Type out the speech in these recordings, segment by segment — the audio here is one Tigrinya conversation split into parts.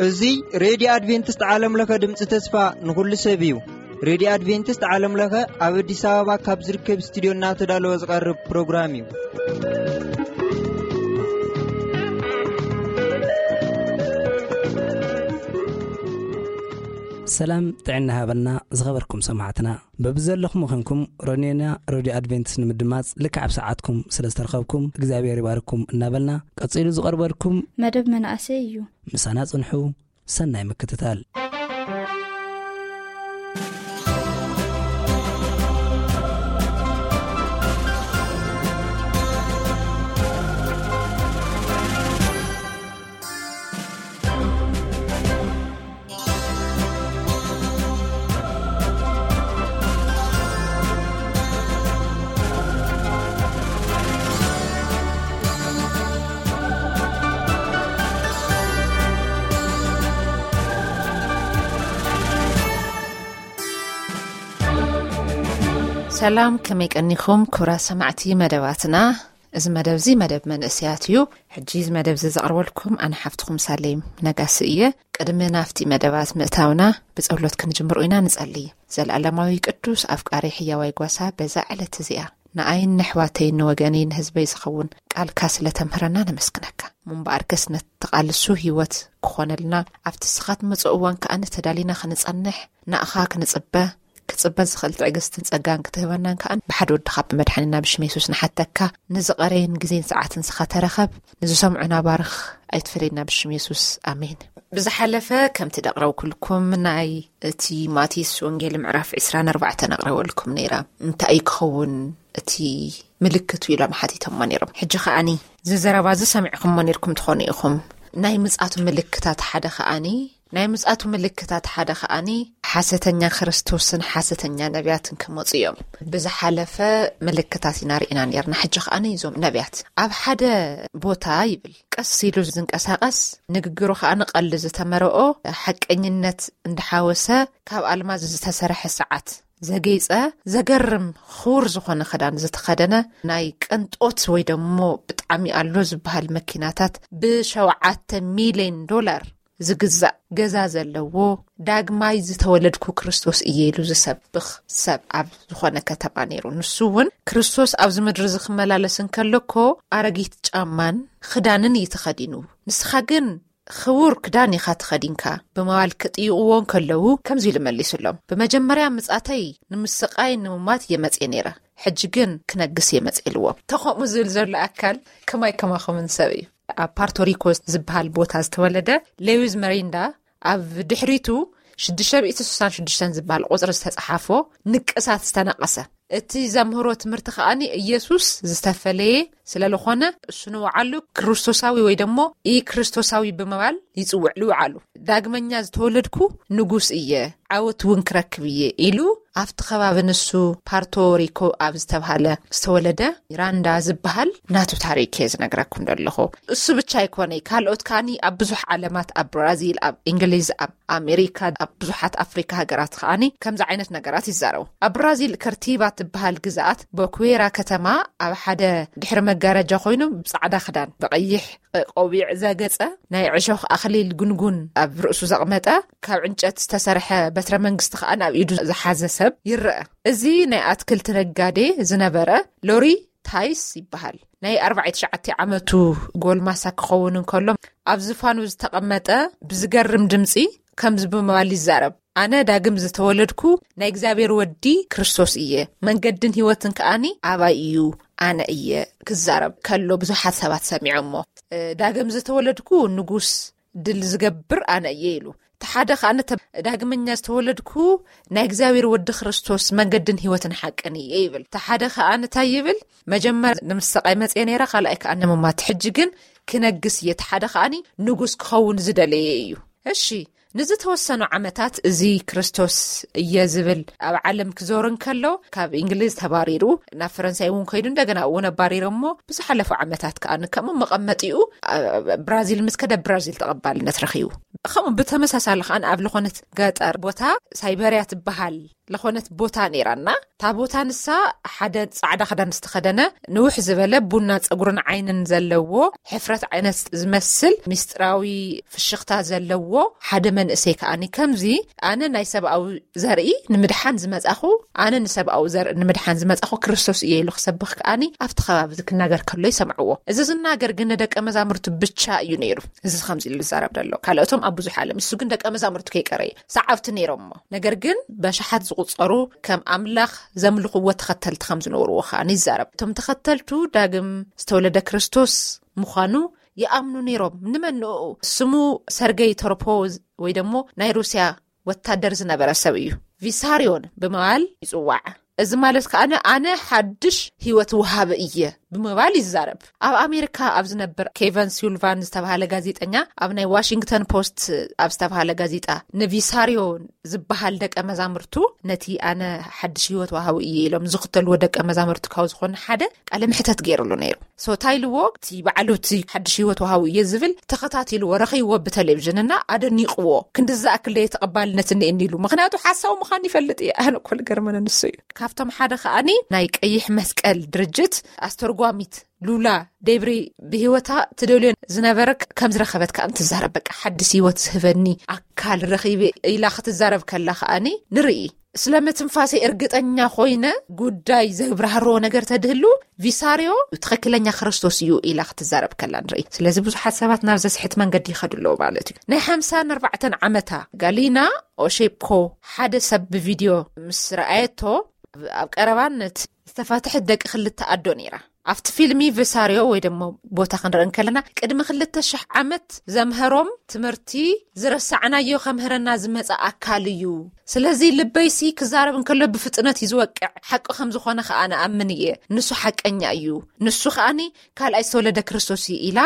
እዚ ሬድዮ ኣድቬንቲስት ዓለም ለኸ ድምፂ ተስፋ ንኹሉ ሰብ እዩ። ሬድዮ ኣድቬንቲስት ዓለም ለኸ ኣብ ኣዲስ ኣበባ ካብ ዝርከብ ስቱዲዮ እናተዳለወ ዝቐርብ ፕሮግራም እዩ። ሰላም ጥዕና ሃበልና ዝኸበርኩም ሰማዕትና። በብዘለኹም ኾንኩም ሮኔና ሬድዮ ኣድቬንቲስት ንምድማጽ ልክዕ ኣብ ሰዓትኩም ስለ ዝተረኸብኩም እግዚኣብሔር ይባርኩም እናበልና፣ ቀጺሉ ዝቐርበልኩም መደብ መናእሰይ እዩ። ምሳና ጽንሑ። ሰናይ ምክትታል። ሰላም፣ ከመይ ቀኒኹም ክቡራት ሰማዕቲ መደባትና? እዚ መደብ እዚ መደብ መንእሰያት እዩ። ሕጂ እዚ መደብ እዚ ዘቕርበልኩም ኣነ ሓፍትኹም ሳሌም ነጋሲ እየ። ቅድሚ ናብቲ መደባት ምእታውና ብጸሎት ክንጅምሮ ኢና። ንጸሊ። ዘለኣለማዊ ቅዱስ ኣፍቃሪ ሕያዋይ ጓሳ፣ በዛ ዕለት እዚኣ ንኣይን ንሕዋተይን ንወገነይ ንህዝበይ ዝኸውን ቃልካ ስለ ተምህረና ነመስግነካ። እሞ እምበኣርከስ ነቲ ቃልሱ ህይወት ክኾነልና ኣብቲ ንስኻ ትመጽኦ እዋን ከኣ ተዳሊና ክንጸንሕ ንኣኻ ክንጽበ ክጽበ ዝኽእል ትዕግስትን ጸጋን ክትህበናን ከኣ ብሓደ ወድኻ ብመድሓኒና ብሽም የሱስ ንሓተካ። ንዝቐረየን ግዜን ሰዓትን ንስኻ ተረኸብ። ንዝሰምዑና ባርኽ፣ ኣይትፈለየና ብሽም የሱስ። ኣሜን። ብዝሓለፈ ከምቲ ደቕረብኩልኩም ናይ እቲ ማቴዎስ ወንጌል ምዕራፍ ዕስራን ኣርባዕተን ኣቕረበልኩም ነይረ። እንታይ እዩ ክኸውን እቲ ምልክቱ ኢሎም ሓቲቶሞ ነይሮም። ሕጂ ከኣኒ እዚ ዘረባ እዚ ሰሚዕኩሞ ነይርኩም ትኾኑ ኢኹም። ናይ ምጻቱ ምልክታት ሓደ ከኣኒ ናይ ምጻቱ ምልክታት ሓደ ከኣኒ ሓሰተኛ ክርስቶስን ሓሰተኛ ነቢያትን ክመጹ እዮም። ብዝሓለፈ ምልክታት ኢና ርኢና ነርና። ሕጂ ከኣኒ እዞም ነቢያት ኣብ ሓደ ቦታ ይብል ቀስ ኢሉ ዝንቀሳቐስ፣ ንግግሩ ከኣ ንቐልዲ ዝተመረኦ ሓቀኝነት እንዳሓወሰ ካብ ኣልማዝ ዝተሰርሐ ሰዓት ዘጌጸ፣ ዘገርም ክቡር ዝኾነ ክዳን ዝተኸደነ፣ ናይ ቅንጦት ወይ ደሞ ብጣዕሚ ኣሎ ዝበሃል መኪናታት፣ ብ7 ሚልዮን ዶላር ዝግዛእ ገዛ ዘለዎ፣ ዳግማይ ዝተወለድኩ ክርስቶስ እየ ኢሉ ዝሰብኽ ሰብ ኣብ ዝኾነ ከተማ ነይሩ። ንሱ እውን ክርስቶስ ኣብዚ ምድሪ እዚ ክመላለስ እንከሎ እኮ ኣረጊት ጫማን ክዳንን እዩ ተኸዲኑ። ንስኻ ግን ክቡር ክዳን ኢኻ ተኸዲንካ። ብምባል ክጥይቕዎ እንከለዉ ከምዚ ኢሉ መሊሱሎም፣ ብመጀመርያ ምጻተይ ንምስቓይ ንምማት እየ መጽየ ነይረ፣ ሕጂ ግን ክነግስ እየ መጽየ ኢልዎም። ተኸምኡ ዝብል ዘሎ ኣካል ከማይ ከማኹምን ሰብ እዩ። ኣብ ፓርቶሪኮ ዝበሃል ቦታ ዝተወለደ ሌዊዝ መሪንዳ ኣብ ድሕሪቱ ሽዱሽተ ሚእቲ ስሳን ሽዱሽተን ዝበሃል ቁጽሪ ዝተጸሓፎ ንቅሳት ዝተነቀሰ። እቲ ዘምህሮ ትምህርቲ ከኣኒ ኢየሱስ ዝተፈለየ ስለ ዝኾነ እሱ ንውዓሉ ክርስቶሳዊ ወይ ደሞ ኢ ክርስቶሳዊ ብምባል ይጽውዕ። ንውዓሉ ዳግመኛ ዝተወለድኩ ንጉስ እየ፣ ዓወት እውን ክረክብ እየ ኢሉ ኣብቲ ከባቢ ንሱ ፓርቶ ሪኮ ኣብ ዝተብሃለ ዝተወለደ ራንዳ ዝበሃል ናቱ ታሪክ እየ ዝነግረኩም ዘለኹ። እሱ ብቻ ኣይኮነይ፣ ካልኦት ከኣኒ ኣብ ብዙሕ ዓለማት፣ ኣብ ብራዚል፣ ኣብ እንግሊዝ፣ ኣብ ኣሜሪካ፣ ኣብ ብዙሓት ኣፍሪካ ሃገራት ከኣኒ ከምዚ ዓይነት ነገራት ይዛረቡ። ኣብ ብራዚል ከርቲባ ትበሃል ግዝኣት ቦኩዌራ ከተማ ኣብ ሓደ ድሕሪ መጋረጃ ኮይኑ ብጻዕዳ ክዳን ብቐይሕ ቆቢዕ ዘገጸ ናይ ዕሾኽ ኣኽሊል ጉንጉን ኣብ ርእሱ ዘቕመጠ ካብ ዕንጨት ዝተሰርሐ በትረ መንግስቲ ከኣ ኣብ ኢዱ ዝሓዘ ሰብ ይረአ። እዚ ናይ ኣትክልቲ ነጋዴ ዝነበረ ሎሪ ታይስ ይበሃል። ናይ ኣርባዕተ ዓመቱ ጎልማሳ ክኸውን እንከሎ ኣብ ዝፋኑ ዝተቐመጠ ብዝገርም ድምጺ ከምዚ ብምባል ይዛረብ፣ ኣነ ዳግም ዝተወለድኩ ናይ እግዚኣብሔር ወዲ ክርስቶስ እየ፣ መንገድን ህይወትን ከኣኒ ኣባይ እዩ፣ ኣነ እየ። ክዛረብ ከሎ ብዙሓት ሰባት ሰሚዖሞ። እ፣ ዳግም ዝተወለድኩ ንጉስ ድል ዝገብር ኣነ እየ ኢሉ። እቲ ሓደ ከኣ ነተ-፣ ዳግመኛ ዝተወለድኩ ናይ እግዚኣብሔር ወዲ ክርስቶስ መንገድን ህይወትን ሓቅን እየ ይብል። እቲ ሓደ ከኣ እንታይ ይብል? መጀመር ንምስቃይ መጽየ ነይረ፣ ካልኣይ ከኣ ንምማት፣ ሕጂ ግን ክነግስ እየ። እቲ ሓደ ከኣኒ ንጉስ ክኸውን ዝደለየ እዩ። እሺ፣ ንዝተወሰኑ ዓመታት እዚ ክርስቶስ እየ ዝብል ኣብ ዓለም ክዞር እንከሎ፣ ካብ እንግሊዝ ተባሪሩ ናብ ፈረንሳይ እውን ከይዱ፣ እንደገና እውን ኣባሪሮሞ። ብዝሓለፉ ዓመታት ከኣ ከምኡ መቐመጢኡ ኣብ ብራዚል ምስ ከደ፣ ብራዚል ተቐባልነት ረኺቡ። ከምኡ ብተመሳሳሊ ከኣ ኣብ ዝኾነት ገጠር ቦታ ሳይበርያ ትበሃል ዝኾነት ቦታ ነይራና። እታ ቦታ ንሳ ሓደ ጻዕዳ ክዳን ዝተኸደነ፣ ንውሕ ዝበለ ቡና ጸጉርን ዓይንን ዘለዎ፣ ሕፍረት ዓይነት ዝመስል ምስጢራዊ ፍሽኽታ ዘለዎ ሓደ መንእሰይ ከኣኒ፣ ከምዚ ኣነ ናይ ሰብኣዊ ዘርኢ ንምድሓን ዝመጻኹ፣ ኣነ ንሰብኣዊ ዘርኢ ንምድሓን ዝመጻኹ ክርስቶስ እየ ኢሉ ክሰብኽ ከኣኒ ኣብቲ ከባቢ እዚ ክናገር ከሎ ይሰምዕዎ። እዚ ዝናገር ግን ንደቀ መዛሙርቱ ብቻ እዩ ነይሩ። እዚ ከምዚ ኢሉ ዝዛረብ ዘሎ ካልኦቶም ኣብ ብዙሕ ዓለም፣ እሱ ግን ደቀ መዛሙርቱ ከይቀረየ ሰዓብቲ ነይሮሞ። ነገር ግን በሽሓት ዝቑጸሩ ከም ኣምላኽ ዘምልኽዎ ተኸተልቲ ከም ዝነበርዎ ከኣ ይዛረብ። እቶም ተኸተልቱ ዳግም ዝተወለደ ክርስቶስ ምዃኑ ይኣምኑ ነይሮም። ንመን ንኡ? ስሙ ሰርገይ ቶርፖ ወይ ደሞ ናይ ሩስያ ወታደር ዝነበረ ሰብ እዩ። ቪሳርዮን ብምባል ይጽዋዕ። እዚ ማለት ከኣ ኣነ ሓድሽ ህይወት ወሃቢ እየ ብምባል ይዛረብ። ኣብ ኣሜሪካ ኣብ ዝነብር ኬቨን ሲልቫን ዝተባሃለ ጋዜጠኛ ኣብ ናይ ዋሽንግተን ፖስት ኣብ ዝተባሃለ ጋዜጣ ንቪሳርዮ ዝበሃል ደቀ መዛሙርቱ ነቲ ኣነ ሓድሽ ህይወት ወሃቢ እየ ኢሎም ዝኽተልዎ ደቀ መዛሙርቱ ካብ ዝኾነ ሓደ ቃለ ምሕተት ገይሩሉ ነይሩ። ሶ እንታይ ኢልዎ? እቲ በዓሉ እቲ ሓድሽ ህይወት ወሃቢ እየ ዝብል ተኸታቲልዎ፣ ረኺብዎ ብቴሌቪዥን እና ኣደኒቕዎ። ክንዲ ዝኣክል ደየ ተቐባልነት እኒኤኒ ኢሉ። ምኽንያቱ ሓሳዊ ምዃን ይፈልጥ እየ። ኣነ እኮ ልገርመነ ንሱ እዩ። ካብቶም ሓደ ከኣኒ ናይ ቀይሕ መስቀል ድርጅት ኣስተርጓሚት ሉላ ዴብሪ ብህይወታ ትደልዮ ዝነበረ ከም ዝረኸበት ከኣ ትዛረብ። በቃ ሓድሽ ህይወት ዝህበኒ ኣካል ረኺበ ኢላ ክትዛረብ ከላ ከኣኒ ንርኢ። ስለ ምትንፋሰይ እርግጠኛ ኮይነ ጉዳይ ዘብራህርዎ ነገር ተድህሉ ቪሳርዮ ትኽክለኛ ክርስቶስ እዩ ኢላ ክትዛረብ ከላ ንርኢ። ስለዚ ብዙሓት ሰባት ናብ ዘስሕት መንገዲ ይኸዱ ኣለዉ ማለት እዩ። ናይ ሓምሳን ኣርባዕተን ዓመታ ጋሊና ኦሼፕኮ ሓደ ሰብ ብቪድዮ ምስ ረኣየቶ ኣብ ቀረባነት ዝተፋትሐት ደቂ ክልተ ኣዶ ነይራ። ኣብቲ ፊልሚ ቪሳርዮ ወይ ደሞ ቦታ ክንርኢ እንከለና ቅድሚ ክልተ ሽሕ ዓመት ዘምሀሮም ትምህርቲ ዝረሳዕናዮ ከምህረና ዝመጸ ኣካል እዩ። ስለዚ ልበይሲ ክዛረብ እንከሎ ብፍጥነት እዩ ዝወቅዕ። ሓቂ ከም ዝኾነ ከኣ ንኣምን እየ። ንሱ ሓቀኛ እዩ። ንሱ ከኣኒ ካልኣይ ዝተወለደ ክርስቶስ እዩ ኢላ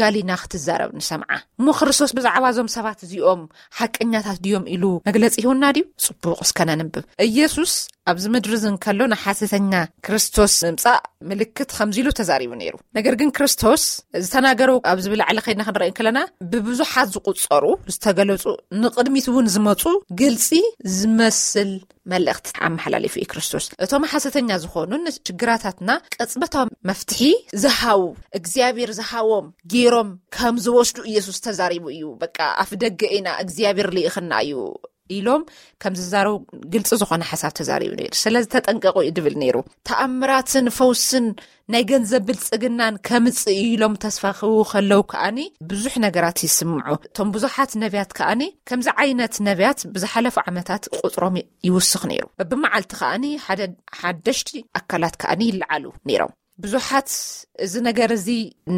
ጋሊና ክትዛረብ ንሰምዓ። እሞ ክርስቶስ ብዛዕባ እዞም ሰባት እዚኦም ሓቀኛታት ድዮም ኢሉ መግለጺ ይሁና ድዩ? ጽቡቕ እስከ ነንብብ። ኢየሱስ ኣብዚ ምድሪ እዚ እንከሎ ንሓሰተኛ ክርስቶስ ምምጻእ ምልክት ከምዚ ኢሉ ተዛሪቡ ነይሩ። ነገር ግን ክርስቶስ ዝተናገሩ ኣብዚ ብላዕሊ ከይድና ክንርኢ ከለና ብብዙሓት ዝቑጸሩ ዝተገለጹ ንቕድሚት እውን ዝመጹ ግልጺ ዝመስል መልእኽቲ ኣመሓላሊፉ እዩ ክርስቶስ። እቶም ሓሰተኛ ዝኾኑ ንችግራታትና ቅጽበታዊ መፍትሒ ዝሃው እግዚኣብሔር ዝሃዎም ገይሮም ከም ዝወስዱ ኢየሱስ ተዛሪቡ እዩ። በቃ ኣፍ ደገ ኢና እግዚኣብሔር ልኢኽና እዩ ኢሎም ከም ዝዛረቡ ግልፂ ዝኾነ ሓሳብ ተዛሪቡ ነይሩ። ስለዚ ተጠንቀቑ እዩ ድብል ነይሩ። ተኣምራትን ፈውስን ናይ ገንዘብ ብልፅግናን ከምፅእ እዩ ኢሎም ተስፋ ክህቡ ከለዉ ከኣኒ ብዙሕ ነገራት ይስምዑ። እቶም ብዙሓት ነቢያት ከኣኒ ከምዚ ዓይነት ነቢያት ብዝሓለፉ ዓመታት ቁፅሮም ይውስኽ ነይሩ። በብመዓልቲ ከኣኒ ሓደ ሓደሽቲ ኣካላት ከኣኒ ይለዓሉ ነይሮም። ብዙሓት እዚ ነገር እዚ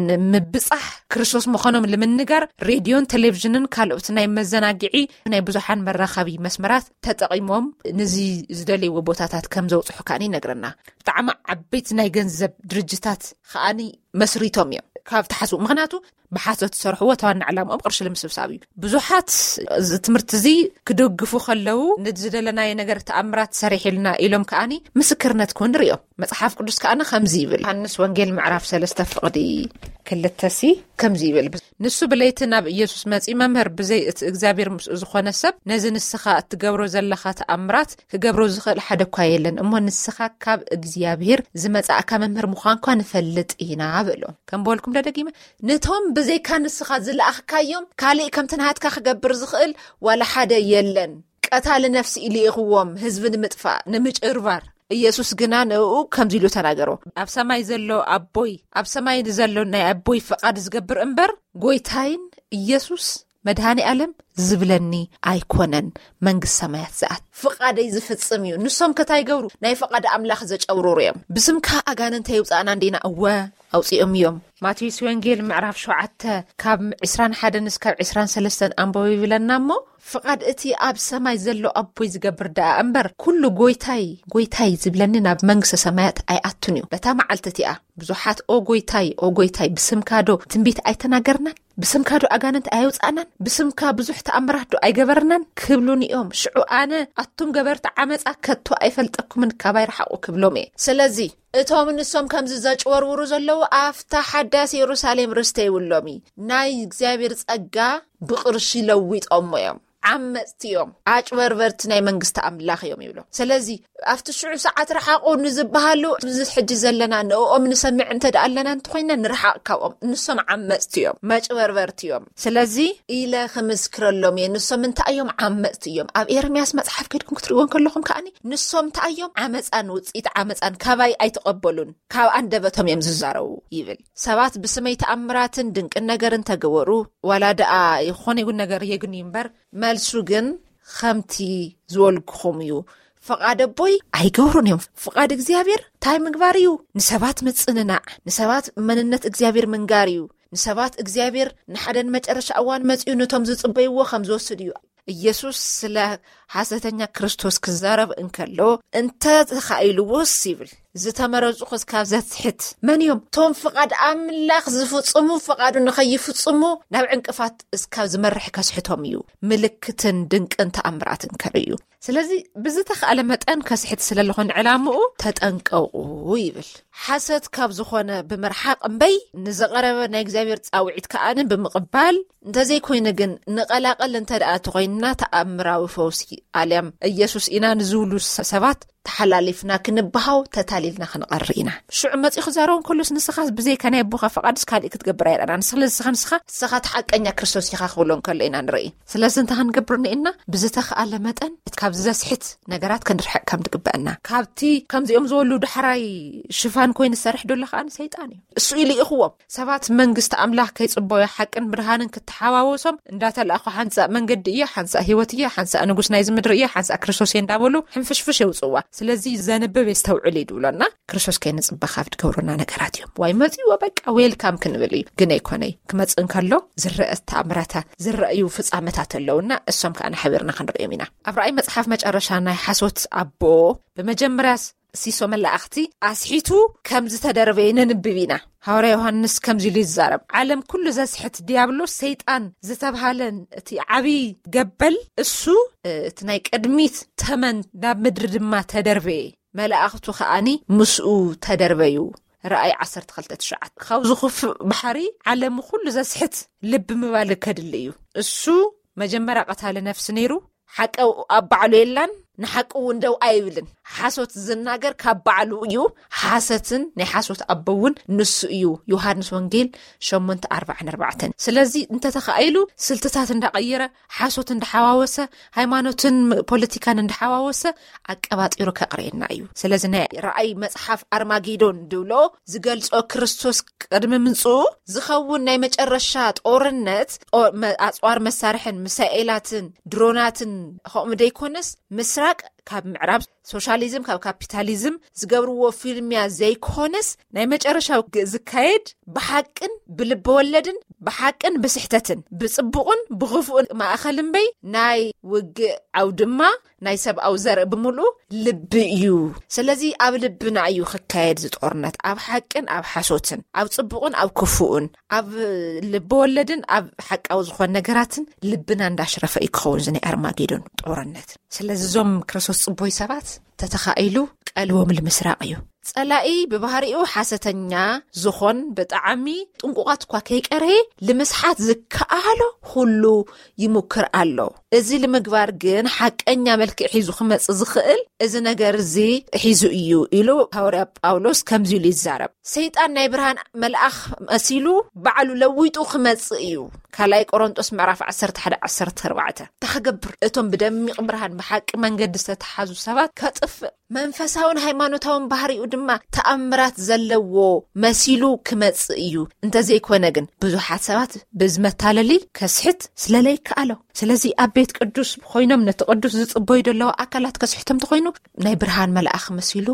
ንምብጻሕ ክርስቶስ ምዃኖም ንምንጋር ሬድዮን ቴሌቪዥንን ካልኦት ናይ መዘናግዒ ናይ ብዙሓን መራኸቢ መስመራት ተጠቒሞም ነዚ ዝደልይዎ ቦታታት ከም ዘውጽሑ ከኣኒ ይነግረና። ብጣዕሚ ዓበይቲ ናይ ገንዘብ ድርጅታት ከኣኒ መስሪቶም እዮም ካብ ትሓስቡ። ምኽንያቱ ብሓሶት ዝሰርሕዎ እቲ ዋና ዕላምኦም ቅርሺ ንምስብሳብ እዩ። ብዙሓት እዚ ትምህርቲ እዚ ክድግፉ ከለዉ ነዚ ዝደለናዮ ነገር ተኣምራት ሰሪሕልና ኢሎም ከኣኒ ምስክርነት ክውን ንሪኦም። መጽሓፍ ቅዱስ ከኣኒ ከምዚ ይብል። ዮሃንስ ወንጌል ምዕራፍ ሰለስተ ፍቕዲ ክልተ ሲ ከምዚ ይብል። ንሱ ብለይቲ ናብ ኢየሱስ መጺኡ፣ "መምህር፣ ብዘይ እቲ እግዚኣብሔር ምስኡ ዝኾነ ሰብ ነዚ ንስኻ እትገብሮ ዘለኻ ተኣምራት ክገብሮ ዝኽእል ሓደ እኳ የለን። እሞ ንስኻ ካብ እግዚኣብሔር ዝመጻእካ መምህር ምዃንኳ ንፈልጥ ኢና" በሎ። ከም በልኩም ደደጊመ፣ "ነቶም ብዘይካ ንስኻ ዝለኣኽካዮም ካልእ ከምቲ ናሃትካ ክገብር ዝኽእል ዋላ ሓደ የለን። ቀታሊ ነፍሲ ኢሉ ኢኽዎም፣ ህዝቢ ንምጥፋእ፣ ንምጭርባር። ኢየሱስ ግና ንእኡ ከምዚ ኢሉ ተናገሮ፣ ኣብ ሰማይ ዘሎ ኣቦይ፣ ኣብ ሰማይ ንዘሎ ናይ ኣቦይ ፍቓድ ዝገብር እምበር፣ ጎይታይን ኢየሱስ መድሃኒ ኣለም ዝብለኒ ኣይኮነን መንግስት ሰማያት ዝኣት። ፍቓደይ ዝፍጽም እዩ። ንሶም ከታይ ገብሩ ናይ ፍቓድ ኣምላኽ ዘጨውሩሩ እዮም። ብስምካ ኣጋንንተ ይውጻእና እንዲና?" እወ ኣውጺኦም እዮም። ማቴዎስ ወንጌል ምዕራፍ ሸውዓተ ካብ ዕስራን ሓደን እስካብ ዕስራን ሰለስተን ኣንበቡ ይብለና እሞ፣ "ፍቓድ እቲ ኣብ ሰማይ ዘሎ ኣቦይ ዝገብር ደኣ እምበር፣ ኩሉ ጎይታይ፣ ጎይታይ ዝብለኒ ናብ መንግስተ ሰማያት ኣይኣቱን እዩ። በታ መዓልቲ እቲኣ ብዙሓት 'ኦ ጎይታይ፣ ኦ ጎይታይ፣ ብስምካ ዶ ትንቢት ኣይተናገርናን? ብስምካ ዶ ኣጋንንት ኣየውጻእናን? ብስምካ ብዙሕ ተኣምራት ዶ ኣይገበርናን?' ክብሉኒ እዮም። ሽዑ ኣነ፣ 'ኣቱም ገበርቲ ዓመጻ፣ ከቶ ኣይፈልጠኩምን፣ ካባይ ረሓቑ' ክብሎም እየ። ስለዚ እቶም ንሶም ከምዚ ዘጭወርውሩ ዘለዉ፣ ኣብታ ሓዳስ የሩሳሌም ርስተ ይብሎም እዩ። ናይ እግዚኣብሔር ጸጋ ብቕርሺ ለዊጦሞ እዮም። ዓመፅቲ እዮም፣ ኣጭበርበርቲ ናይ መንግስቲ ኣምላኽ እዮም ይብሎ። ስለዚ ኣብቲ ሽዑ ሰዓት ረሓቑ ንዝበሃሉ፣ እዚ ሕጂ ዘለና ንእኦም ንሰምዕ እንተ ደኣ ኣለና እንተኾይና፣ ንርሓቕ ካብኦም። ንሶም ዓመፅቲ እዮም፣ መጭበርበርቲ እዮም። ስለዚ ኢለ ክምስክረሎም እየ። ንሶም እንታይ እዮም? ዓመፅቲ እዮም። ኣብ ኤርምያስ መፅሓፍ ከድኩም ክትርእይዎ እንከለኹም ከኣኒ፣ ንሶም እንታይ እዮም? ዓመፃን ውፅኢት ዓመፃን ካባይ ኣይተቐበሉን፣ ካብ ኣንደበቶም እዮም ዝዛረቡ ይብል። ሰባት ብስመይ ተኣምራትን ድንቅን ነገር እንተገበሩ፣ ዋላ ደኣ ይኾነ ይኹን ነገር የግንዩ እምበር፣ መልሱ ግን ከምቲ ዝበልኩኹም እዩ። ፍቓድ ኣቦይ ኣይገብሩን እዮም። ፍቓድ እግዚኣብሔር እንታይ ምግባር እዩ? ንሰባት ምጽንናዕ፣ ንሰባት መንነት እግዚኣብሔር ምንጋር እዩ። ንሰባት እግዚኣብሔር ንሓደን መጨረሻ እዋን መጺኡ ነቶም ዝጽበይዎ ከም ዝወስድ እዩ። ኢየሱስ ስለ ሓሰተኛ ክርስቶስ ክዛረብ እንከሎ፣ እንተ ተኻኢልዎስ ይብል፣ ዝተመረጹ ክስካብ ዘስሕት መን እዮም? እቶም ፍቓድ ኣምላኽ ዝፍጽሙ፣ ፍቓዱ ንኸይፍጽሙ ናብ ዕንቅፋት እስካብ ዝመርሕ ከስሕቶም እዩ። ምልክትን ድንቅን ተኣምራትን ከርእዩ። ስለዚ ብዝተኻእለ መጠን ከስሕት ስለ ዝኾነ ዕላምኡ ተጠንቀቑ ይብል። ሓሰት ካብ ዝኾነ ብምርሓቕ እምበይ፣ ንዝቐረበ ናይ እግዚኣብሔር ጻውዒት ከኣን ብምቕባል፣ እንተዘይኮይኑ ግን ንቐላቐል እንተ ደኣ ተኾይንና፣ ተኣምራዊ ፈውሲ ኣልያም ኢየሱስ ኢና ንዝብሉ ሰ-፣ ሰባት ተሓላሊፍና ክንበሃው፣ ተታሊልና ክንቐሪ ኢና። ሽዑ መጺኡ ክዛረቡ እንከሎስ፣ ንስኻ ብዘይካ ናይ ኣቦኻ ፍቓድስ ካልእ ክትገብር ኣይረኣናን። ስለዚ ንስኻ፣ ንስኻ፣ ንስኻ እቲ ሓቀኛ ክርስቶስ ኢኻ ክብሎ እንከሎ ኢና ንርኢ። ስለዚ እንታይ ክንገብር እኒኤና? ብዝተኻእለ መጠን ካብዚ ዘስሕት ነገራት ክንርሕቕ ከም ዝግበአና። ካብቲ ከምዚኦም ዝበሉ ዳሕራይ ሽፋን ኮይኑ ዝሰርሕ ዘሎ ከኣ ሰይጣን እዩ። እሱ እዩ ልኢኽዎም። ሰባት መንግስቲ ኣምላኽ ከይጽበዩ፣ ሓቅን ብርሃንን ክተሓዋወሶም እንዳተላእኹ፣ ሓንሳእ መንገዲ እየ፣ ሓንሳእ ህይወት እየ፣ ሓንሳእ ንጉስ ናይዚ ምድሪ እየ፣ ሓንሳእ ክርስቶስ እየ እንዳበሉ ሕንፍሽፍሽ የውጽዋ። ስለዚ ዘንብብ የስተውዕል እዩ ድብሎና። ክርስቶስ ከይንጽበ ካብ ድገብሩና ነገራት እዮም። ዋይ መጺዎ በቃ ዌልካም ክንብል እዩ። ግን ኣይኮነይ። ክመጽእ እንከሎ ዝረአ ተኣምራታ፣ ዝረአዩ ፍጻመታት ኣለውና። እሶም ከኣ ሓቢርና ክንርእዮም ኢና። ኣብ ራእይ መጽሓፍ መጨረሻ ናይ ሓሶት ኣቦ ብመጀመርያ ሲሶ መላእኽቲ ኣስሒቱ ከም ዝተደርበየ ነንብብ ኢና። ሃዋርያ ዮሃንስ ከምዚ ኢሉ ይዛረብ፣ ዓለም ኩሉ ዘስሕት ዲያብሎስ ሰይጣን ዝተብሃለን እቲ ዓብዪ ገበል እሱ፣ እ፣ እቲ ናይ ቅድሚት ተመን ናብ ምድሪ ድማ ተደርበየ። መላእኽቱ ከኣኒ ምስኡ ተደርበዩ። ራእይ ዓሰርተ ክልተ ትሽዓተ። ካብዚ ክፉእ ባሕሪ ዓለም ኩሉ ዘስሕት ልቢ ምባል ከድሊ እዩ። እሱ መጀመርያ ቀታሊ ነፍሲ ነይሩ። ሓቂ ኣብ ባዕሉ የላን፣ ንሓቂ እውን ደው ኣይብልን። ሓሶት ዝናገር ካብ ባዕሉ እዩ። ሓሰትን ናይ ሓሶት ኣቦ እውን ንሱ እዩ። ዮሃንስ ወንጌል ሸሞንተ ኣርባዓን ኣርባዕተን። ስለዚ እንተተኻኢሉ ስልትታት እንዳቐየረ፣ ሓሶት እንዳሓዋወሰ፣ ሃይማኖትን ፖለቲካን እንዳሓዋወሰ ኣቀባጢሩ ከቕርየና እዩ። ስለዚ ናይ ራእይ መጽሓፍ ኣርማጌዶን ድብሎ ዝገልጾ ክርስቶስ ቅድሚ ምምጽኡ ዝኸውን ናይ መጨረሻ ጦርነት፣ ጦ-፣ መ-፣ ኣጽዋር መሳርሕን ሚሳኤላትን ድሮናትን ከምኡ ደይኮነስ ምስራቅ ካብ ምዕራብ፣ ሶሻሊዝም ካብ ካፒታሊዝም ዝገብርዎ ፊልምያ ዘይኮነስ ናይ መጨረሻው ግ-፣ ዝካየድ ብሓቅን ብልበ ወለድን ብሓቅን ብስሕተትን ብጽቡቕን ብኽፉእን ማእኸል እምበይ ናይ ውግእ ዓውድማ ናይ ሰብኣዊ ዘርኢ ብምሉኡ ልቢ እዩ። ስለዚ ኣብ ልብና እዩ ክካየድ ዝጦርነት፣ ኣብ ሓቅን ኣብ ሓሶትን፣ ኣብ ጽቡቕን ኣብ ክፉእን፣ ኣብ ልቢ ወለድን ኣብ ሓቃዊ ዝኾን ነገራትን ልብና እንዳሽረፈ እዩ ክኸውን እዚ ናይ ኣርማጌዶን ጦርነት። ስለዚ እዞም ክርስቶስ ጽቡይ ሰባት ተተኻኢሉ ቀልቦም ልምስራቕ እዩ። ጸላኢ ብባህሪኡ ሓሰተኛ ዝኾን ብጣዕሚ ጥንቁቓት እኳ ከይቀረየ ልምስሓት ዝከኣሎ ኩሉ ይሙክር ኣሎ። እዚ ልምግባር ግን ሓቀኛ መልክዕ ሒዙ ክመጽእ ዝኽእል እዚ ነገር እዚ ሒዙ እዩ ኢሉ ሃዋርያ ጳውሎስ ከምዚ ኢሉ ይዛረብ። ሰይጣን ናይ ብርሃን መልኣኽ መሲሉ ባዕሉ ለዊጡ ክመጽእ እዩ። ካልኣይ ቆሮንጦስ ምዕራፍ ዓሰርተ ሓደ ዓሰርተ ኣርባዕተ። እንታይ ክገብር? እቶም ብደሚቕ ብርሃን ብሓቂ መንገዲ ዝተተሓዙ ሰባት ከጥፍእ መንፈሳውን ሃይማኖታውን ባህሪኡ ድማ ተኣምራት ዘለዎ መሲሉ ክመጽእ እዩ። እንተዘይኮነ ግን ብዙሓት ሰባት ብዝመታለሊ ከስሕት ስለለይከኣሎ። ስለዚ ኣብ ቤት ቅዱስ ኮይኖም ነቲ ቅዱስ ዝጽበዩ ዘለዉ ኣካላት ከስሕቶም ተኾይኑ ናይ ብርሃን መልኣኽ መሲሉ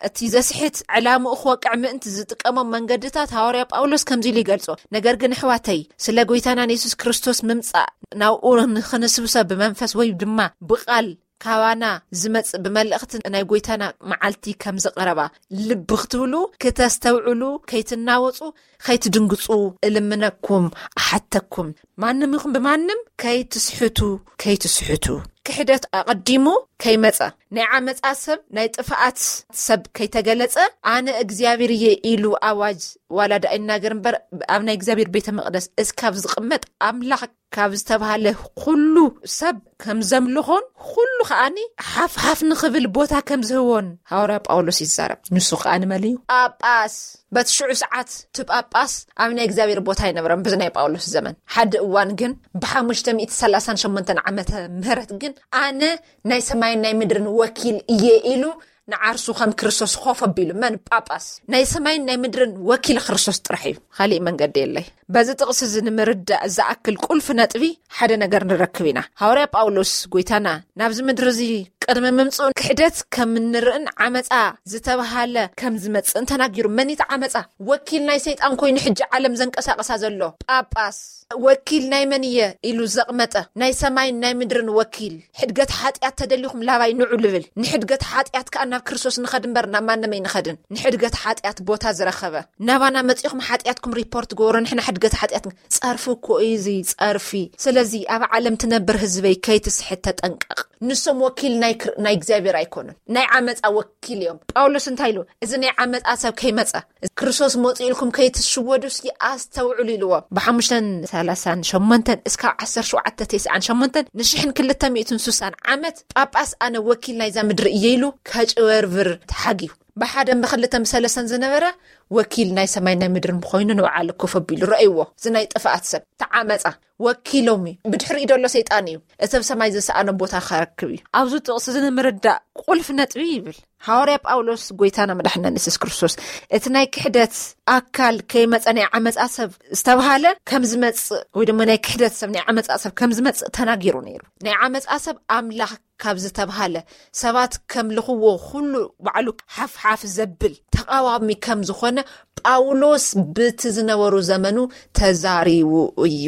እቲ ዘስሕት ዕላምኡ ክወቅዕ ምእንቲ ዝጥቀሞም መንገድታት ሃዋርያ ጳውሎስ ከምዚ ኢሉ ይገልጾ። ነገር ግን ኣሕዋተይ፣ ስለ ጎይታናን የሱስ ክርስቶስ ምምጻእ ናብኡ ንኽንስብሰ ብመንፈስ ወይ ድማ ብቓል ካባና ዝመጽእ ብመልእኽቲ ናይ ጎይታና መዓልቲ ከም ዝቐረባ ልቢ ክትብሉ፣ ክተስተውዕሉ፣ ከይትናወጹ፣ ከይትድንግጹ እልምነኩም፣ ኣሓተኩም። ማንም ይኹን ብማንም ከይትስሕቱ፣ ከይትስሕቱ። ክሕደት ኣቐዲሙ ከይመጸ፣ ናይ ዓመጻ ሰብ፣ ናይ ጥፍኣት ሰብ ከይተገለጸ፣ ኣነ እግዚኣብሔር እየ ኢሉ ኣዋጅ ዋላ ደኣ ይናገር እምበር፣ ኣብ ናይ እግዚኣብሔር ቤተ መቕደስ እስካብ ዝቕመጥ ኣምላኽ ካብ ዝተባሃለ ኩሉ ሰብ ከም ዘምልኾን ኩሉ ከኣኒ ሓፍሓፍ ንኽብል ቦታ ከም ዝህቦን ሃዋርያ ጳውሎስ ይዛረብ። ንሱ ከኣ ንመን እዩ? ጳጳስ። በቲ ሽዑ ሰዓት እቲ ጳጳስ ኣብ ናይ እግዚኣብሔር ቦታ ኣይነበረን። በዚ ናይ ጳውሎስ ዘመን ሓደ እዋን ግን ብ538 ዓመተ ምህረት ግን ኣነ ናይ ሰማይን ናይ ምድርን ወኪል እየ ኢሉ ንዓርሱ ከም ክርስቶስ ኮፍ ኣቢሉ። መን? ጳጳስ። ናይ ሰማይን ናይ ምድርን ወኪል ክርስቶስ ጥራሕ እዩ። ካሊእ መንገዲ የለይ። በዚ ጥቕሲ እዚ ንምርዳእ ዝኣክል ቁልፊ ነጥቢ ሓደ ነገር ንረክብ ኢና። ሃዋርያ ጳውሎስ ጎይታና ናብዚ ምድሪ እዚ ቅድሚ ምምጽኡ ክሕደት ከም እንርእን ዓመጻ ዝተባሃለ ከም ዝመጽእን ተናጊሩ። መን እቲ ዓመጻ? ወኪል ናይ ሰይጣን ኮይኑ ሕጂ ዓለም ዘንቀሳቐሳ ዘሎ ጳጳስ። ወኪል ናይ መን እየ ኢሉ ዘቕመጠ ናይ ሰማይን ናይ ምድርን ወኪል። ሕድገት ሓጢኣት ተደሊኹም ላባይ ንዑ ልብል። ንሕድገት ሓጢኣት ከኣ ናብ ክርስቶስ ንኸድ እምበር ናብ ማንም ኣይንኸድን። ንሕድገት ሓጢኣት ቦታ ዝረኸበ ናባና መጺኹም ሓጢኣትኩም ሪፖርት ግበሩ፣ ንሕና ሕድገት ሓጢኣት ን-፣ ጸርፊ እኮ እዩ እዚ ጸርፊ። ስለዚ ኣብ ዓለም ትነብር ህዝበይ ከይትስሕት ተጠንቀቕ። ንሶም ወኪል ናይ ክር-፣ ናይ እግዚኣብሔር ኣይኮኑን። ናይ ዓመጻ ወኪል እዮም። ጳውሎስ እንታይ ኢሉ? እዚ ናይ ዓመጻ ሰብ ከይመጸ ክርስቶስ መጹ ኢልኩም ከይትሽወዱ እስኪ ኣስተውዕሉ ኢልዎ። ብ538 እስካብ 1798 ንሽሕን ክልተ ሚእትን ስሳን ዓመት ጳጳስ ኣነ ወኪል ናይዛ ምድሪ እየ ኢሉ ከጭበርብር ተሓግዩ። ብሓደን ብክልተን ብሰለስተን ዝነበረ ወኪል ናይ ሰማይ ናይ ምድርን ኮይኑ ንባዕሉ ኮፍ ኣቢሉ ረእይዎ። እዚ ናይ ጥፍኣት ሰብ ተዓመጻ ወኪሎም እዩ። ብድሕሪኡ ደሎ ሰይጣን እዩ። እቲ ኣብ ሰማይ ዝሰኣነ ቦታ ከረክብ እዩ። ኣብዚ ጥቕሲ እዚ ንምርዳእ ቁልፊ ነጥቢ ይብል። ሃዋርያ ጳውሎስ ጎይታና መድሓና የሱስ ክርስቶስ እቲ ናይ ክሕደት ኣካል ከይመጸ ናይ ዓመጻ ሰብ ዝተባሃለ ከም ዝመጽእ ወይ ድማ ናይ ክሕደት ሰብ ናይ ዓመጻ ሰብ ከም ዝመጽእ ተናጊሩ ነይሩ። ናይ ዓመጻ ሰብ ኣምላኽ ካብ ዝተባሃለ ሰባት ከምልኽዎ ኩሉ ባዕሉ ሓፍሓፍ ዘብል ተቓዋሚ ከም ዝኾነ ጳውሎስ ብቲ ዝነበሩ ዘመኑ ተዛሪቡ እዩ።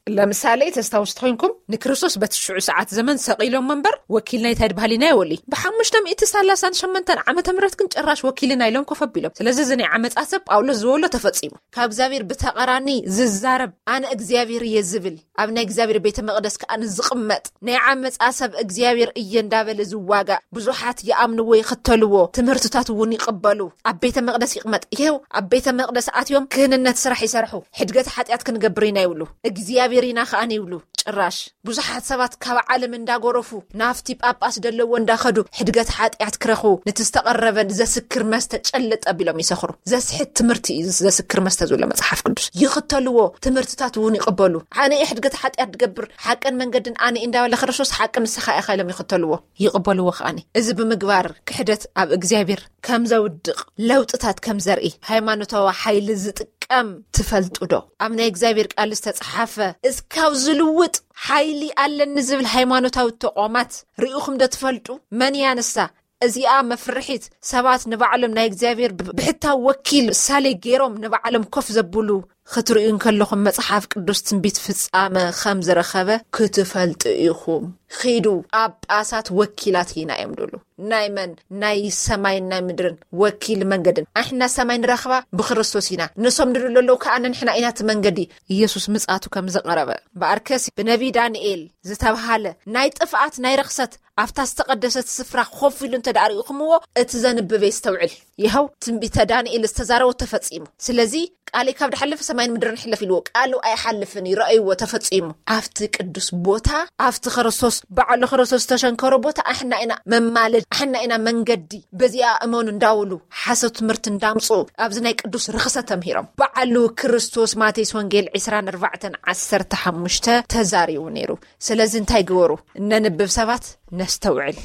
ለምሳሌ ተስታውስ ተኮይንኩም ንክርስቶስ በቲ ሽዑ ሰዓት ዘመን ሰቒሎም እምበር ወኪል ናይታይ ድባህል ኢና ይወሊ ብ538 ዓመተ ምህረት ግን ጭራሽ ወኪልና ኢሎም ኮፍ ኣቢሎም። ስለዚ እዚ ናይ ዓመጻ ሰብ ጳውሎስ ዝበሎ ተፈጺሙ። ካብ እግዚኣብሔር ብተቐራኒ ዝዛረብ ኣነ እግዚኣብሔር እየ ዝብል ኣብ ናይ እግዚኣብሔር ቤተ መቕደስ ከኣ ንዝቕመጥ ናይ ዓመጻ ሰብ እግዚኣብሔር እየ እንዳበለ ዝዋጋእ ብዙሓት ይኣምንዎ ይኽተልዎ ትምህርትታት እውን ይቕበሉ። ኣብ ቤተ መቕደስ ይቕመጥ ይሄው ኣብ ቤተ መቕደስ ኣትዮም ክህንነት ስራሕ ይሰርሑ። ሕድገት ሓጢኣት ክንገብር ኢና ይብሉ እግዚኣብሔር ኢና ከኣን ይብሉ። ጭራሽ ብዙሓት ሰባት ካብ ዓለም እንዳጎረፉ ናፍቲ ጳጳስ ደለዎ እንዳኸዱ ሕድገት ሓጢኣት ክረኹ ነቲ ዝተቐረበን ዘስክር መስተ ጨልጥ ኣቢሎም ይሰኽሩ። ዘስሕት ትምህርቲ እዩ ዘስክር መስተ ዝብሎ መጽሓፍ ቅዱስ። ይኽተልዎ ትምህርትታት እውን ይቕበሉ። ኣነ እየ ሕድገት ሓጢኣት ድገብር ሓቅን መንገድን ኣነ እየ እንዳበለ ክርስቶስ ሓቂ ንስኻ ኢኻ ኢሎም ይኽተልዎ ይቕበልዎ። ከኣኒ እዚ ብምግባር ክሕደት ኣብ እግዚኣብሔር ከም ዘውድቕ ለውጥታት ከም ዘርኢ ሃይማኖታዊ ሓይሊ ዝጥቀም ትፈልጡ ዶ? ኣብ ናይ እግዚኣብሔር ቃል ዝተጽሓፈ እስካብ ዝልውጥ ሓይሊ ኣለኒ ዝብል ሃይማኖታዊ ተቋማት ርኢኹም ዶ ትፈልጡ? መን እያ ንሳ? እዚኣ መፍርሒት ሰባት ንባዕሎም ናይ እግዚኣብሔር ብ-፣ ብሕታዊ ወኪል ሳሌ ገይሮም ንባዕሎም ኮፍ ዘብሉ ክትርእዩ እንከለኹም መጽሓፍ ቅዱስ ትንቢት ፍጻመ ከም ዝረኸበ ክትፈልጡ ኢኹም። ኺዱ ጳጳሳት ወኪላት ኢና እዮም ድሉ ናይ መን ናይ ሰማይን ናይ ምድርን ወኪል መንገድን ኣሕና ሰማይ ንረኽባ ብክርስቶስ ኢና። ንሶም ድሉ ኣለዉ ከኣ ንሕና ኢና እቲ መንገዲ። ኢየሱስ ምጽኣቱ ከም ዝቐረበ ብኣርከስ ብነቢ ዳንኤል ዝተብሃለ ናይ ጥፍኣት ናይ ርኽሰት ኣብታ ዝተቐደሰት ስፍራ ኮፍ ኢሉ እንተ ደኣ ርኢኹምዎ እቲ ዘንብብ የስተውዕል። ይኸው ትንቢተ ዳንኤል ዝተዛረቦ ተፈጺሙ። ስለዚ ቃለይ ካብ ድሓልፍ ሰማይን ምድርን ይሕለፍ ኢልዎ ቃሉ ኣይሓልፍን እዩ። ረኣይዎ ተፈጺሙ። ኣብቲ ቅዱስ ቦታ ኣብቲ ክርስቶስ ባዕሉ ክርስቶስ ዝተሸንከሮ ቦታ ኣሕና ኢና መማለድ ኣሕና ኢና መንገዲ በዚኣ እመኑ እንዳውሉ ሓሰት ትምህርቲ እንዳምፁ ኣብዚ ናይ ቅዱስ ርኽሰ ተምሂሮም። ባዕሉ ክርስቶስ ማቴዎስ ወንጌል ዕስራን ኣርባዕተን ዓሰርተ ሓሙሽተ ተዛሪቡ ነይሩ። ስለዚ እንታይ ግበሩ? እነንብብ ሰባት ነስተውዕል።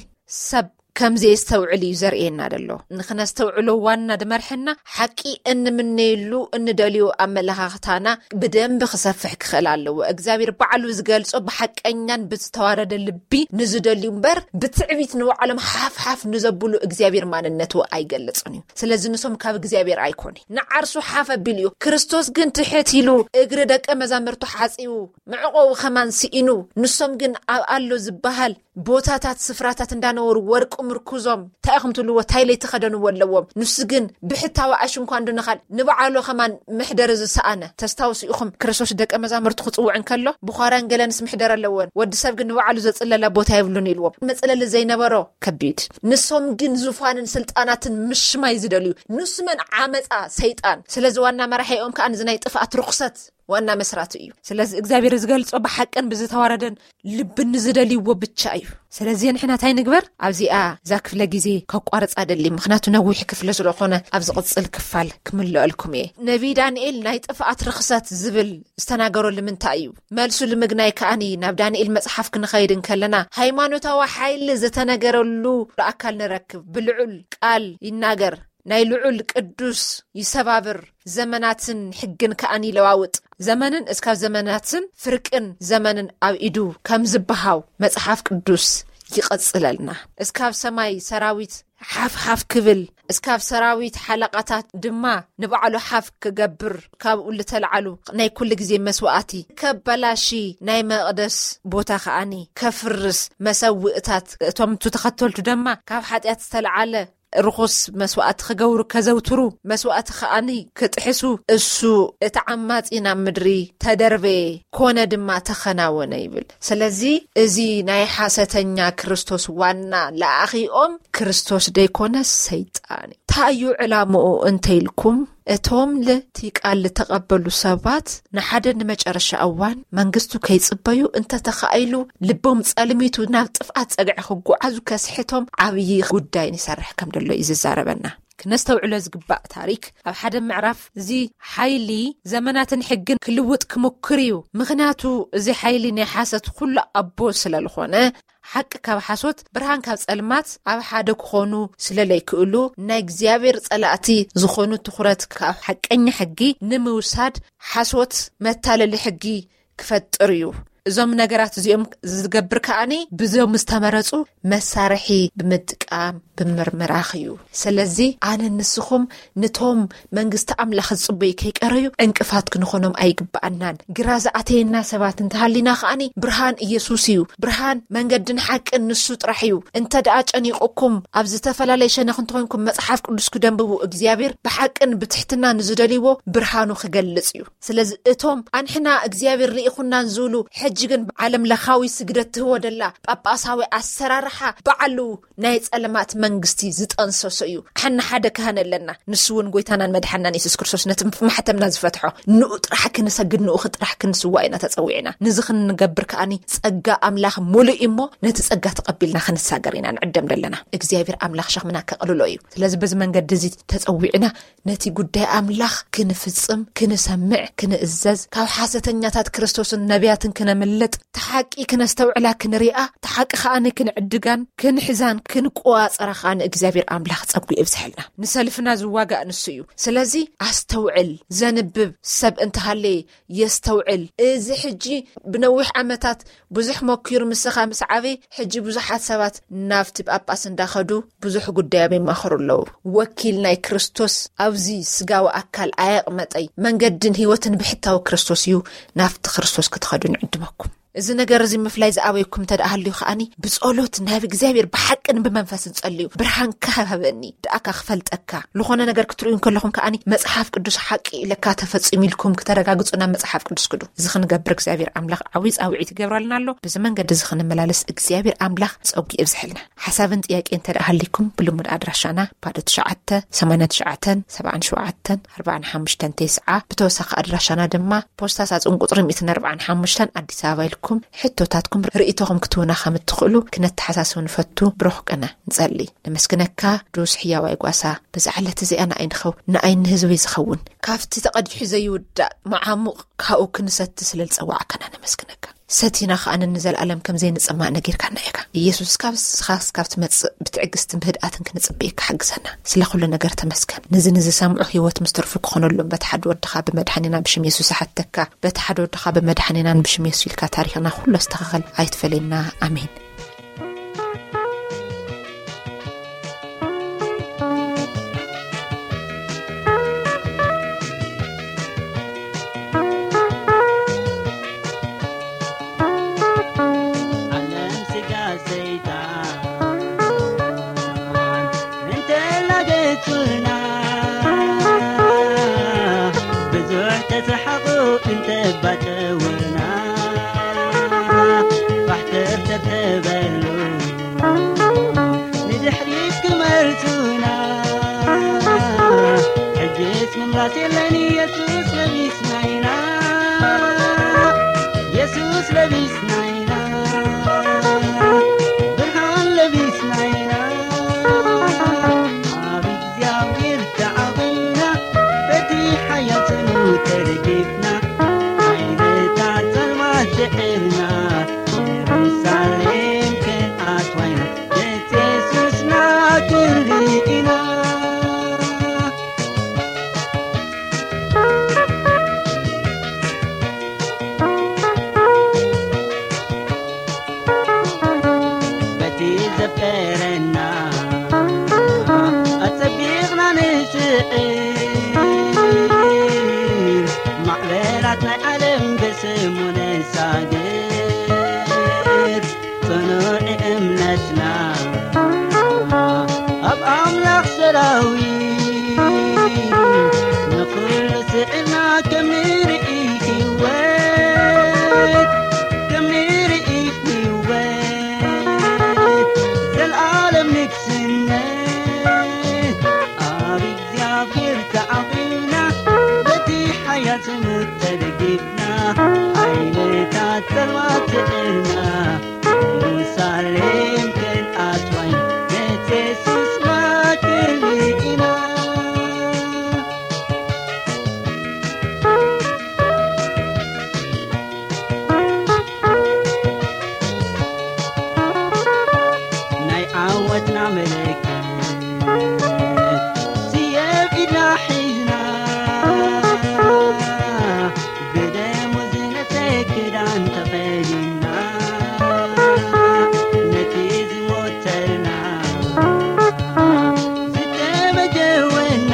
ሰብ ከም ዘየስተውዕል እዩ ዘርእየና ዘሎ። ንኽነስተውዕሎ ዋና ድመርሐና ሓቂ እንምነየሉ እንደልዮ ኣመለኻኽታና ብደንቢ ክሰፍሕ ክኽእል ኣለዎ። እግዚኣብሔር ባዕሉ ዝገልጾ ብሓቀኛን ብዝተዋረደ ልቢ ንዝደልዩ እምበር ብትዕቢት ንባዕሎም ሓፍሓፍ ንዘብሉ እግዚኣብሔር ማንነቱ ኣይገልጽን እዩ። ስለዚ ንሶም ካብ እግዚኣብሔር ኣይኮነ ንዓርሱ ሓፍ ኣቢሉ እዩ። ክርስቶስ ግን ትሕት ኢሉ እግሪ ደቀ መዛምርቱ ሓጺቡ መዕቆቡ ከማን ስኢኑ ንሶም ግን ኣብ ኣሎ ዝበሃል ቦታታት፣ ስፍራታት እንዳነበሩ ወርቂ ምርኩዞም፣ እንታይ ኢኹም ትብልዎ? እንታይ ለይተኸደንዎ ኣለዎም? ንሱ ግን ብሕታዊ ኣሽንኳ እንድንኻል ንባዕሉ ከማን መሕደሪ ዝሰኣነ። ተስታውሱ ኢኹም፣ ክርስቶስ ደቀ መዛሙርቱ ክጽውዕ እንከሎ፣ ብዃራን ገለንስ ምሕደር ኣለወን፣ ወዲ ሰብ ግን ንባዕሉ ዘጽለላ ቦታ የብሉን ኢልዎም። መጽለሊ ዘይነበሮ ከቢድ። ንሶም ግን ዙፋንን ስልጣናትን ምሽማይ ዝደልዩ። ንሱ መን ዓመጻ ሰይጣን። ስለዚ ዋና መራሒኦም ከኣ ንዚ ናይ ጥፍኣት ርኹሰት ዋና መስራቱ እዩ። ስለዚ እግዚኣብሔር ዝገልጾ ብሓቅን ብዝተዋረደን ልቢ ንዝደልይዎ ብቻ እዩ። ስለዚ ንሕና እንታይ ንግበር? ኣብዚኣ እዛ ክፍለ ግዜ ከቋርጻ ደሊ፣ ምኽንያቱ ነዊሕ ክፍለ ስለኾነ ኣብ ዝቕጽል ክፋል ክምልአልኩም እየ። ነቢይ ዳንኤል ናይ ጥፍኣት ርኽሰት ዝብል ዝተናገሮ ልምንታይ እዩ? መልሱ ልምግናይ ከኣኒ ናብ ዳንኤል መጽሓፍ ክንኸይድ እንከለና፣ ሃይማኖታዊ ሓይሊ ዝተነገረሉ ኣካል ንረክብ። ብልዑል ቃል ይናገር፣ ናይ ልዑል ቅዱስ ይሰባብር፣ ዘመናትን ሕግን ከኣኒ ይለዋውጥ። ዘመንን እስካብ ዘመናትን ፍርቅን ዘመንን ኣብ ኢዱ ከም ዝበሃው መጽሓፍ ቅዱስ ይቐጽለልና። እስካብ ሰማይ ሰራዊት ሓፍ ሓፍ ክብል፣ እስካብ ሰራዊት ሓለቓታት ድማ ንባዕሉ ሓፍ ክገብር፣ ካብኡ ልተልዓሉ ናይ ኩሉ ግዜ መስዋእቲ ከበላሺ፣ ናይ መቕደስ ቦታ ከኣኒ ከፍርስ፣ መሰውእታት እቶም እቱ ተኸተልቱ ድማ ካብ ሓጢኣት ዝተልዓለ ርኹስ መስዋእቲ ክገብሩ ከዘውትሩ፣ መስዋእቲ ከኣኒ ክጥሕሱ፣ እሱ እቲ ዓማጺ ናብ ምድሪ ተደርበየ፣ ኮነ ድማ ተኸናወነ ይብል። ስለዚ እዚ ናይ ሓሰተኛ ክርስቶስ ዋና ለኣኺኦም ክርስቶስ ደይኮነ ሰይጣን እዩ። እንታይ እዩ ዕላምኡ እንተኢልኩም፣ እቶም ልቲ ቃል ልተቐበሉ ሰባት ንሓደ ንመጨረሻ እዋን መንግስቱ ከይጽበዩ እንተተኻኢሉ ልቦም ጸልሚቱ ናብ ጥፍኣት ጸግዒ ክጓዓዙ ከስሕቶም ዓብዪ ጉዳይ ንሰርሕ ከም ደሎ እዩ ዝዛረበና። ክነስተውዕሎ ዝግባእ ታሪክ ኣብ ሓደ ምዕራፍ እዚ ሓይሊ ዘመናትን ሕግን ክልውጥ ክምክር እዩ። ምኽንያቱ እዚ ሓይሊ ናይ ሓሰት ኩሉ ኣቦ ስለልኾነ ሓቂ ካብ ሓሶት ብርሃን ካብ ጸልማት ኣብ ሓደ ክኾኑ ስለለይክእሉ ናይ እግዚኣብሔር ጸላእቲ ዝኾኑ ትኹረት ካብ ሓቀኛ ሕጊ ንምውሳድ ሓሶት መታለሊ ሕጊ ክፈጥር እዩ። እዞም ነገራት እዚኦም ዝገብር ከኣኒ ብዞም ዝተመረጹ መሳርሒ ብምጥቃም ብምርምራኽ እዩ። ስለዚ ኣነ ንስኹም ንቶም መንግስቲ ኣምላኽ ዝጽበዩ ከይቀረዩ ዕንቅፋት ክንኾኖም ኣይግብኣናን። ግራ ዝኣተየና ሰባት እንተሃሊና ከኣኒ ብርሃን ኢየሱስ እዩ። ብርሃን መንገድን ሓቅን ንሱ ጥራሕ እዩ። እንተ ደኣ ጨኒቑኩም ኣብ ዝተፈላለየ ሸነኽ እንተኾይንኩም መጽሓፍ ቅዱስ ክደንብቡ እግዚኣብሔር ብሓቅን ብትሕትና ንዝደልይዎ ብርሃኑ ክገልጽ እዩ። ስለዚ እቶም ኣንሕና እግዚኣብሔር ልኢኹናን ዝብሉ ሕጂ ግን ዓለም ለኻዊ ስግደት ትህቦ ደላ ጳጳሳዊ ኣሰራርሓ ባዕሉ ናይ ጸለማት መንግስቲ ዝጠንሰሶ እዩ። ሓና ሓደ ካህን ኣለና፣ ንሱ እውን ጎይታናን መድሓናን የሱስ ክርስቶስ ነቲ ማሕተምና ዝፈትሖ። ንኡ ጥራሕ ክንሰግድ፣ ንኡ ጥራሕ ክንስዋ ኢና ተጸዊዕና። ንዚ ክንገብር ከኣኒ ጸጋ ኣምላኽ ሙሉእ እዩ እሞ ነቲ ጸጋ ተቐቢልና ክንሳገር ኢና ንዕደም ደለና። እግዚኣብሔር ኣምላኽ ሸኽምና ከቕልሎ እዩ። ስለዚ በዚ መንገዲ እዚ ተጸዊዕና ነቲ ጉዳይ ኣምላኽ ክንፍጽም፣ ክንሰምዕ፣ ክንእዘዝ፣ ካብ ሓሰተኛታት ክርስቶስን ነቢያትን ክነምልጥ፣ ተሓቂ ክነስተውዕላ ክንሪኣ፣ ተሓቂ ከኣኒ ክንዕድጋን ክንሕዛን ክንቆዋጸራ ከኣ ንእግዚኣብሔር ኣምላኽ ጸጉ ይብዝሐልና። ንሰልፍና ዝዋጋእ ንሱ እዩ። ስለዚ ኣስተውዕል፣ ዘንብብ ሰብ እንተሃለየ የስተውዕል። እዚ ሕጂ ብነዊሕ ዓመታት ብዙሕ መኪሩ ምስኻ ምስ ዓበየ፣ ሕጂ ብዙሓት ሰባት ናብቲ ጳጳስ እንዳኸዱ ብዙሕ ጉዳዮም ይማኸሩ ኣለዉ። ወኪል ናይ ክርስቶስ ኣብዚ ስጋዊ ኣካል ኣየቕመጠይ፣ መንገድን ህይወትን ብሕታዊ ክርስቶስ እዩ። ናብቲ ክርስቶስ ክትኸዱ ንዕድመኩም። እዚ ነገር እዚ ምፍላይ ዝኣበይኩም እንተ ደኣ ሃልዩ ከኣኒ ብጸሎት ናብ እግዚኣብሔር ብሓቅን ብመንፈስን ጸልዩ። ብርሃንካ ሃበኒ፣ ደኣካ ክፈልጠካ። ዝኾነ ነገር ክትርእዩ እንከለኹም ከኣኒ መጽሓፍ ቅዱስ ሓቂ ኢለካ ተፈጺሙ ኢልኩም ክተረጋግጹ ናብ መጽሓፍ ቅዱስ ክዱ። እዚ ክንገብር እግዚኣብሔር ኣምላኽ ዓብዪ ጻውዒት ይገብረልና ኣሎ። በዚ መንገዲ እዚ ክንመላለስ እግዚኣብሔር ኣምላኽ ጸጉ ይብዝሐልና። ሓሳብን ጥያቄ እንተ ደኣ ሃሊኩም ብልሙድ ኣድራሻና ባዶ ትሽዓተ ሰማንያ ትሽዓተ ሰብዓን ሸውዓተን ኣርባዓን ሓሙሽተን ተስዓ፣ ብተወሳኺ ኣድራሻና ድማ ፖስታ ሳጹን ቁጽሪ ሚእትን ኣርባዓን ሓሙሽተን ኣዲስ ኣበባ ኢልኩም ሕቶታትኩም ርእይቶኹም ክትህቡና ከም እትኽእሉ ክነተሓሳስብ ንፈቱ። ብሩኽ ቅነ ንጸሊ። ነመስግነካ ቅዱስ ሕያዋይ ጓሳ፣ በዛ ዕለት እዚኣ ንኣይ ንኸው-፣ ንኣይ ንህዝበይ ዝኸውን ካብቲ ተቐዲሑ ዘይውዳእ መዓሙቕ ካብኡ ክንሰቲ ስለ ዝጸዋዕካና ነመስግነካ። ሰቲና ከኣ ንዘለኣለም ከም ዘይንጽማእ ነጊርካና ኢኻ። ኢየሱስ፣ ካብ ንስኻ እስካብ ትመጽእ ብትዕግስትን ብህድኣትን ክንጽበየካ ሓግዘና። ስለ ኩሉ ነገር ተመስገን። ነዚ ንዝሰምዑ ህይወት ምስ ትርፉ ክኾነሎም በቲ ሓደ ወድኻ ብመድሓኒና ብሽም የሱስ እሓተካ። በቲ ሓደ ወድኻ ብመድሓኒናን ብሽም የሱስ ኢልካ ታሪኽና ኩሉ ኣስተኻኸል። ኣይትፈለየና። ኣሜን። ራስ የለን ኢየሱስ ለቢስና ኢና፣ ኢየሱስ ለቢስና ኢና፣ ብርሃን ለቢስና ኢና። ኣብ እግዚኣብሔር ተዓቒብና፣ በቲ ሓያል ስሙ ተደጊፍና፣ ሓይልታት ጸልማት ስዒርና፣ ኢየሩሳሌም ክንኣትዋ ኢና፣ ገጽ የሱስና ክንርኢ ኢና። በቲ ዘፍቀረና ኣጸቢቕና ንስዕር፣ ማዕበላት ናይ ዓለም ብስሙ ንሳገር። ጽኑዕ እምነትና ኣብ ኣምላኽ ሰራዊት፣ ንኹሉ ስዒርና ከም ንርኢ ህይወት፣ ከም ንርኢ ህይወት፣ ዘልኣለም ንግስነት። ኣብ እግዚኣብሔር ተዓቒብና፣ በቲ ሓያል ስሙ ተደጊፍና፣ ሓይልታት ጸልማት ስዒርና፣ ኢየሩሳሌም ክንኣትዋ ኢና፣ ቤት የሱስና ክንርኢ ኢና። ናይ ዓወትና ምልክት ስየ ኣብ ኢድና ሒዝና፣ ብደሙ ዝነጸ ክዳን ተኸዲንና፣ ነቲ ዝሞተልና ዝተመጀወና፣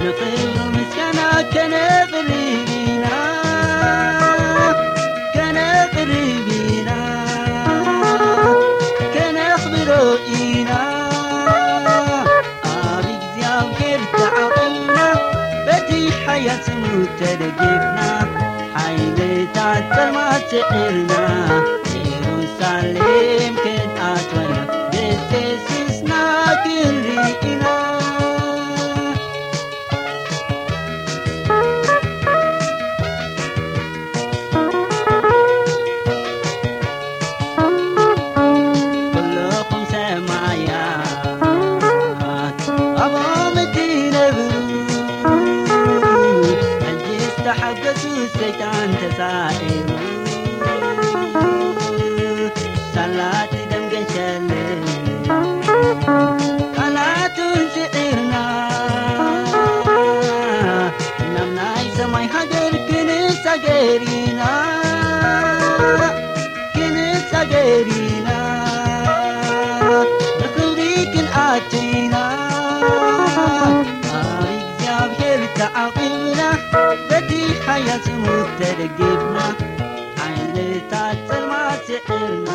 ንኽብሩ ምስጋና ከነቕርብ ኢና፣ ከነቕርብ ኢና፣ ከነኽብሮ ኢና። ኣብ እግዚኣብሔር ተዓቒብና፣ በቲ ሓያል ስሙ ተደጊፍና፣ ሓይልታት ጸልማት ስዒርና፣ ኢየሩሳሌም ክንኣትዋ ኢና፣ ቤት የሱስና ክንርኢ ኢና። ኩልኹም ሰማያት ኣብኦም እትነብሩ፣ ሕጂ ዝተሓገሱ ሰይጣን ተሳዒሩ፣ ሳላት ደም ገሸልን ቃላቱን ስዒርና፣ ናብ ናይ ሰማይ ሃገር ክንሳገር ኢና፣ ክንሳገር ኢና፣ ንኽብሪ ክንኣቱ ኢና። ኣብ እግዚኣብሔር ተዓቒብና፣ በቲ ሓያል ስሙ ተደጊፍና፣ ሓይልታት ጸልማት ስዒርና፣